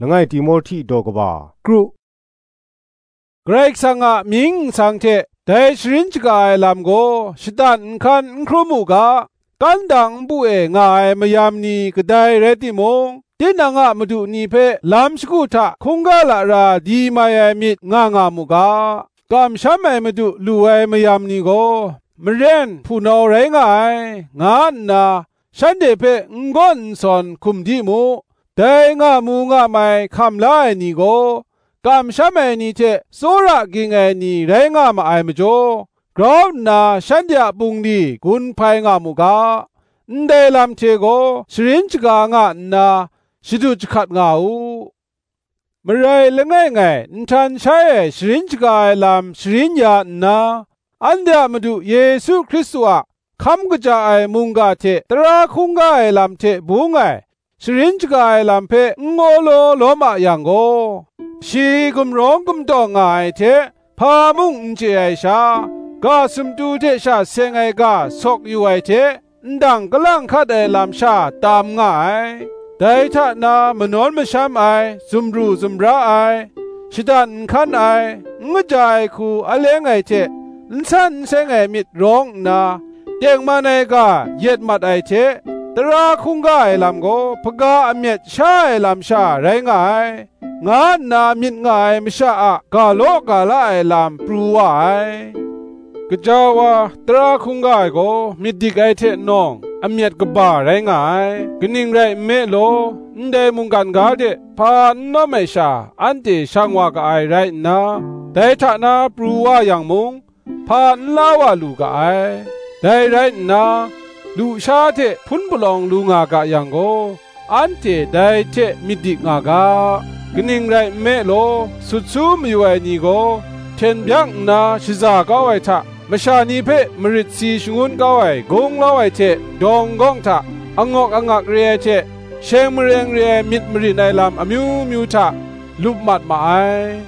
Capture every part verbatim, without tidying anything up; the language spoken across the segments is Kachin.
Langai Timohti daw kaba kru. Karai Kasang a mying nsang hte dai sharin shaga ai lam gaw shatan nhkan n hkrum u ga, kan dang npu e nga ai mayam ni kadai rai timung, tinang a madu ni hpe lam shagu hta hkungga lara di mai ai myit nga nga mu ga, kamsham ai madu lu ai mayam ni gaw maren hpunau rai nga ai, nga nna shanhte hpe n gawn n sawn hkum di mu. Dai nga mu nga mai hkam la ai ni gaw, kamsham ai ni hte tsawra ging ai ni rai nga ma ai majaw, grau nna shanhte a bungli gun hpai nga mu ga, ndai lam hte gaw sharin shaga nga nna, shadut jahkat nga u. Marai langai ngai nhtan shai ai sharin shaga ai lam sharin ya nna, anhte a Madu Yesu Hkristu a hkam kaja ai mungga hte tara hkungga ai lam hte bung ai sharin shaga ai lam hpe n gawlaw lawm a yang gaw, shi gumrawng gumtawng nga ai hte hpa mung n chye ai sha, ga sumtu hte sha seng ai ga sawk yu ai hte, ndang kalang hkat ai lam sha tam nga ai. Dai hta na manawn masham ai, zumru zumra ai, shadan nhkan ai, n kaja ai hku aleng ai hte, n san n seng ai myit rawng nna, tengman ai ga yet mat ai hte, tara hkungga ai lam gaw hpaga amyet sha ai lam sha rai nga ai, nga nna myit nga ai masha a ga law ga la ai lam pru wa ai. Gaja wa tara hkungga ai gaw myit dik ai hte nawng, amyet kaba rai nga ai. Kaning rai nme law, ndai mungkan ga de hpa n nawm ai sha anhte shang wa ga ai rai nna, dai hta na pru wa yang mung, hpa n la wa lu ga ai. Dai rai nna, lusha hte hpun palawng lu nga ga yang gaw, anhte dai hte myit dik nga ga. Kaning rai nme law, sut su mayu ai ni gaw, hten byak nna shaza kau ai hta, masha ni hpe marit si shangun kau ai gunglau ai hte dawng gawng hta, angawk angak re ai hte, sheng mareng re ai myit marin ai lam amyu myu hta, lup mat ma ai.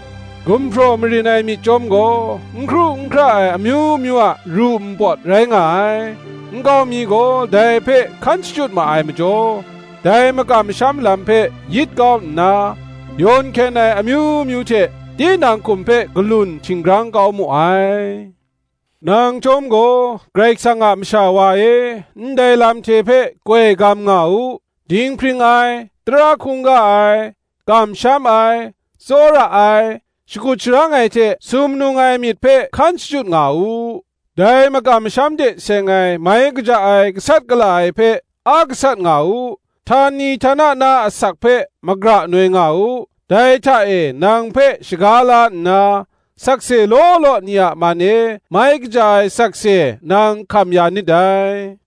Gumhpraw marin ai myit chyawm gaw, n hkru n hkra ai amyu myu a ru npawt rai nga ai. Nkau mi gaw dai hpe hkan shachyut ma ai majaw, dai makam masham lam hpe yit kau nna, yawn hkyen ai amyu myu hte tinang hkum hpe galun htinggrang kau mu ai. Nang chyawm gaw, Karai Kasang a masha wa e, ndai lam hte hpe koi gam nga u, dinghpring ai, tara hkungga ai, kamsham ai, tsawra ai, shakut sharang ai hte sumnung ai myit hpe hkan shachyut nga u. Dai makam masham de seng ai mai kaja ai gasat gala ai hpe a gasat nga u. Htani htana na asak hpe magra noi nga u. Dai hta e nang hpe shaga la nna, sakse law law ni a man e mai kaja ai sakse nang hkam ya nit dai.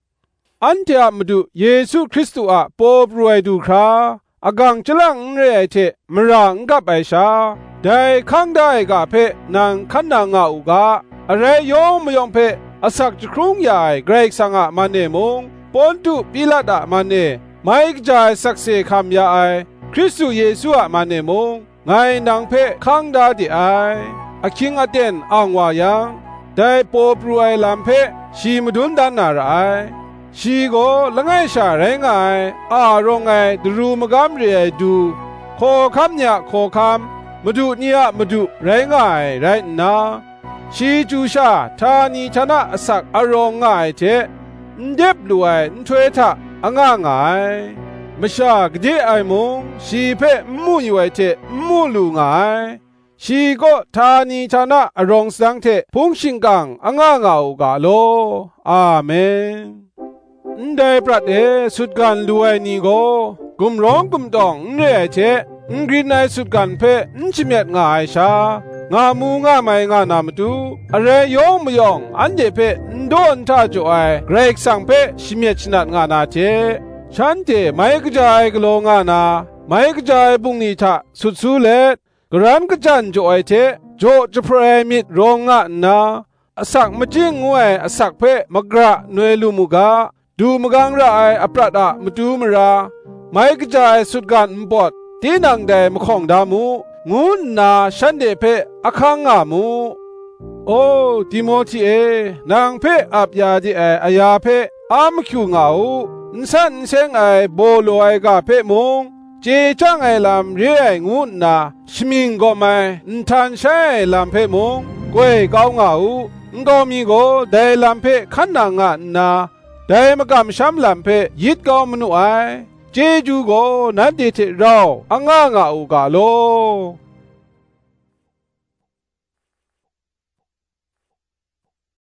Anhte a Madu Yesu Hkristu a paw pru ai du hkra, agang chyalang n re ai hte mara n gap ai sha, dai hkang da ai ga hpe nang hkan nang nga u ga, arai yawng mayawng hpe asak jahkrung ya ai Karai Kasang a man e mung, Pontu Pilat a man e mai kaja ai sakse hkam ya ai Hkristu Yesu a man e mung, ngai nang hpe hkang da de ai. Ahkying aten ang wa yang, dai paw pru ai lam hpe shi madun dan na ra ai. Shi gaw langai sha rai nga ai, a rawng ai daru magam re ai du, hkawhkam ni a hkawhkam, madu ni a madu rai nga ai rai nna, shi chyu sha htani htana asak arawng nga ai hte, n dep lu ai nhtoi hta anga nga ai. Masha gade ai mung, shi hpe n mu yu ai hte n mu lu nga ai. Shi kaw htani htana arawng sadang hte hpung shingkang anga nga u ga law. Amen. Ndai prat e sutgan lu ai ni gaw, gumrawng gumtawng n re ai hte, n grin ai sutgan hpe n shamyet nga ai sha, nga mu nga mai nga na matu, arai yawng mayawng anhte hpe n daw n hta jaw ai Karai Kasang hpe shamyet shanat nga na hte, shanhte mai kaja ai galaw nga na, mai kaja ai bungli hta sut su let, karan kajan jaw ai hte jaw jahpra ai myit rawng nga nna, asak majing ngu ai asak hpe magra noi lu mu ga, du magang ra ai aprat a matu mara, mai kaja ai sutgan npawt, tinang dai mahkawng da mu, ngu nna shanhte hpe ahkang nga mu. O Timohti e, nang hpe ap ya de ai aya hpe a mahkyu nga u, n san n seng ai baw law ai ga hpe mung, chye chyang ai lam re ai ngu nna shamying gawm ai nhtan shai ai lam hpe mung goi kau nga u. Nkau mi gaw dai lam hpe hkan nang nga nna, dai makam masham lam hpe yit kau manu ai. Chyeju gaw nanhte hte rau anga nga u ga law.